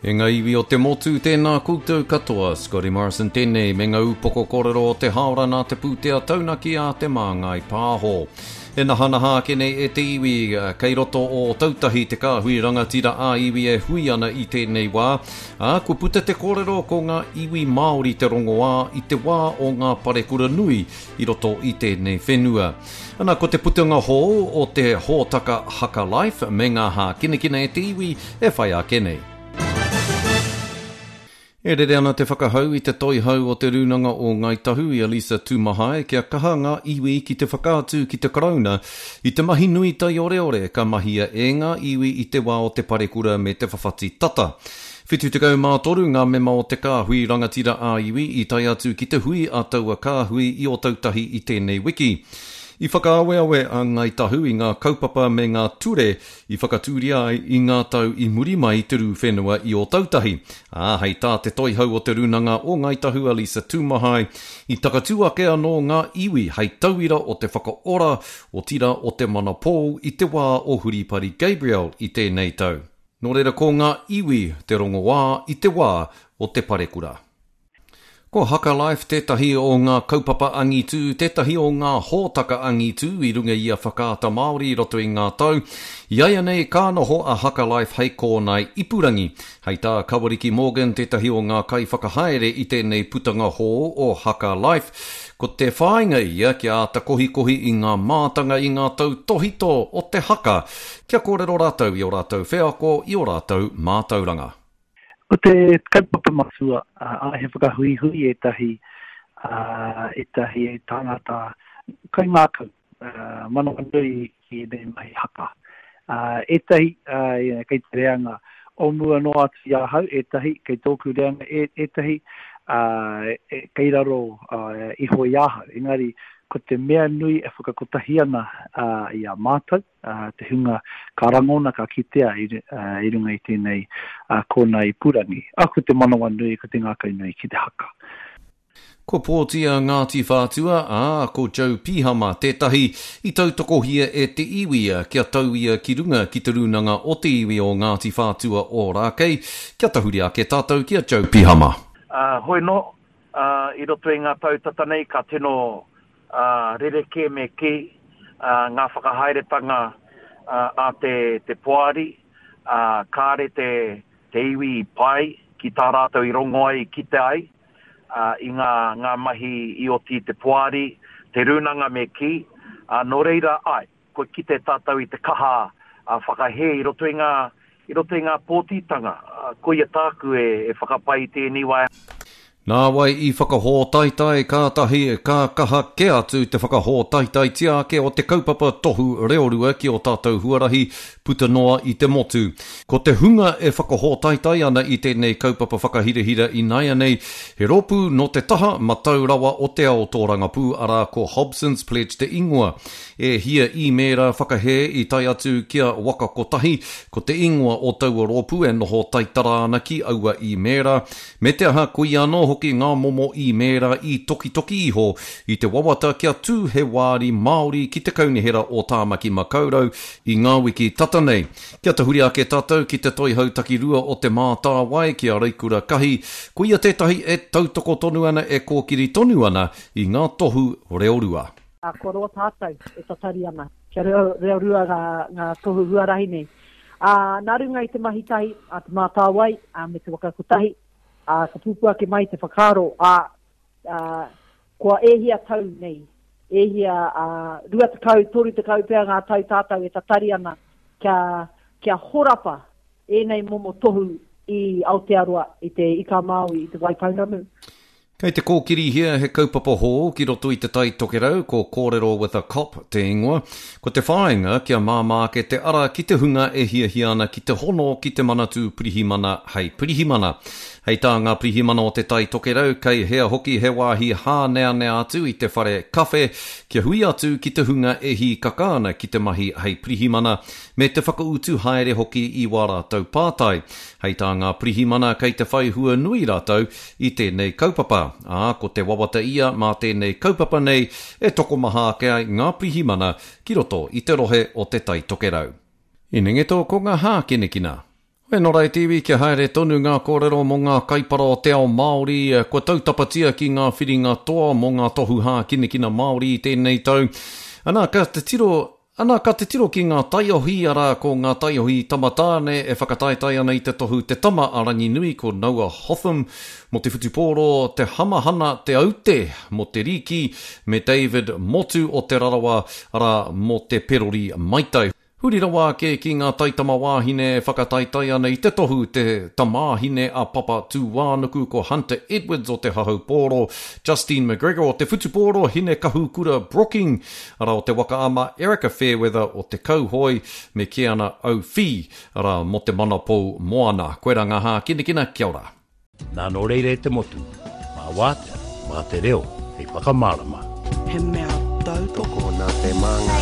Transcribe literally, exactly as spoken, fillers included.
E ngā iwi o te motu, tēnā koutou katoa, Scotty Morrison tēnei me ngā upoko kōrero o te haora nā te pūtea taunaki a Te Māngai Pāho. E nahanaha ake nei e te iwi, kei roto o Ōtautahi te kāhui rangatira ā-iwi e hui ana i tēnei wā, ā, kua puta te kōrero ko ngā iwi Māori te rongoā i te wā o ngā parekura nui i roto i tēnei whenua. Ana, ko te putanga hou o te hōtaka Haka Life me ngā hākinakina e te iwi e whai ake nei. E rere ana te whakahau i te toihau o te Rūnanga o Ngāi Tahu i a Lisa Tūmahae kia kaha ngā iwi ki te whakaatu ki te Karauna i te mahi nui taioreore ka mahia e ngā iwi i te wā o te parekura me te whawhati tata. Whitu tekau mā toru ngā mema o te kāhui rangatira ā-iwi i tae atu ki te hui a taua kāhui i Ōtautahi i tēnei wiki. I whakaaweawe a Ngāi Tahu i ngā kaupapa me ngā ture i whakatūria ai i ngā tau i muri mai i te rū whenua i Ōtautahi, ā, hei tā te toihau o te Rūnanga o Ngāi Tahu a Lisa Tūmahae, i takatū ake anō ngā iwi hei tauira o te whakaora, otirā o te manapou i te wā o Huripari Gabriel i tēnei tau. Nō reira ko ngā iwi te rongoā i te wā o te parekura. Ko Haka Life tētahi o ngā kaupapa angitū, tētahi o ngā hōtaka angitū i runga i a Whakaata Māori i roto i ngā tau. I āianei ka noho a Haka Life hei kōnae ipurangi. Hei tā Kawariki Morgan tētahi o ngā kaiwhakahaere i tēnei putanga hou o Haka Life, ko te whāinga ia kia āta kohikohi i ngā mātanga i ngā tautōhito o te haka, kia kōrero rātou i ō rātou wheako, i ō rātou mātauranga. Ko te kaupapa matua, ā, he whakahuihui ētahi, ētahi tāngata kaingākau, manawanui ki ēnei mahi haka. Ētahi kei te reanga o mua noa atu i ahau, ētahi kei tōku reanga, ētahi kei raro iho i ahau. Engari, ko te mea nui e whakakotahi ana i a mātou, te hunga ka rangona, ka kitea i runga i tēnei kōnae ipurangi. Ā, ko te manawanui, ko te ngākaunui ki te haka. Kua pōti a Ngāti Whātua, ā, ko Joe Pihama tētahi i tautokohia e te iwi kia tau ia ki runga ki te rūnanga o te iwi o Ngāti Whātua Ōrākei. Kia tahuri ake tātou ki a Joe Pihama. Ā, hoi nō, ā, i roto i ngā tau tata nei ka tino ā, rerekē me kī, ā, ngā whakahaeretanga ā, a te, te poari, ā, kāre te, te iwi i pai ki tā rātou i rongo ai, i kite ai, ā, i ngā, ngā mahi i oti i te poari, te rūnanga me kī, ā, nō reira, āe, kua kite tātou i te kaha ā, whakahē i roto i ngā, i roto i ngā pōtitanga, ā, koia tāku e, e whakapai i tēnei wā. Nāwai i whakahōtaetae kātahi ka kaha kē atu te whakahōtaetaetia ake o te kaupapa tohu reorua ki ō tātou huarahi puta noa i te motu. Ko te hunga e whakahōtaetae ana i tēnei kaupapa whakahirahira ināianei, he rōpū nō te taha matau rawa o te ao tōrangapū, arā ko Hobson's Pledge te ingoa. E hia īmēra whakahē i tae atu ki a Waka Kotahi, ko te ingoa o taua rōpū e noho taitara ana ki aua īmēra, me te aha koia anō hoki ngā momo īmēra i tokitoki iho i te wawata kia tū he wāri Māori ki te Kaunihera o Tāmaki Makaurau i ngā wiki tata nei. Kia tahuri ake tātou ki te toihau takirua o Te Mātāwai ki a Reikura Kahi, koia tētahi e tautoko tonu ana e kōkiri tonu ana i ngā tohu reorua. Ā, kua roa tātou e tatari ana kia reo, reorua ngā, ngā tohu huarahi nei. Ā, nā runga i te mahi tahi a Te Mātāwai ā, me Te Waka Kotahi, ā, ka pupū ake mai te whakaaro, ā, ā, kua e hia tau nei, e hia, ā, rua tekau, toru tekau pea ngā tau tātou e tatari ana kia, kia horapa ēnei momo tohu i Aotearoa, i te Ika Māui, i te Waipounamu. Kei te kōkirihia he kaupapa hou ki roto i Te Tai Tokerau, ko Kōrero with a Cop te ingoa. Ko te whāinga kia māmā ake te ara ki te hunga e hiahia ana ki te hono ki te Manatū Pirihimana hei pirihimana. Hei tā ngā pirihimana o Te Tai Tokerau, kei hea hoki he wāhi hāneanea atu i te whare kawhe kia hui atu ki te hunga e hīkaka ana ki te mahi hei pirihimana me te whakautu haere hoki i wā rātou pātai. Hei tā ngā pirihimana kei te whai hua nui rātou i tēnei kaupapa, ā, ko te wawata ia mā tēnei kaupapa nei e tokomaha ake ai ngā pirihimana ki roto i te rohe o Te Tai Tokerau. Inengeto ko ngā hākinakina. Hoi nō reira te iwi, kia haere tonu ngā kōrero mō ngā kaipara o te ao Māori, kua tautapatia ki ngā whiringa toa mō ngā tohu hākinakina Māori i tēnei tau. Ana, ka titiro, ana, ka titiro ki ngā taiohi, arā, ko ngā taiohi tamatāne e whakataetae ana i te tohu Te Tama a Ranginui, ko Noah Hotham mō te whutupōro, Te Hamahana Te Aute mō te rīki, me David Motu o Te Rarawa, arā, mō te perori maitai. Huri rawa ake ki ngā taitamawāhine e whakataetae ana i te tohu te tamāhine a Papa Tūānuku ko Hunter Edwards o te hahau pōro, Justine McGregor o te whutupōro, Hine Kahukura Brooking, arā o te waka ama, Erika Fairweather o te kauhoe, me Keana O'Fee, arā mō te manapou moana. Koirā ngā hākinakina, kia ora. Nā nō reira e te motu, mā wātea, mā te reo hei whakamārama. He mea tautoko. Tokona te māngai.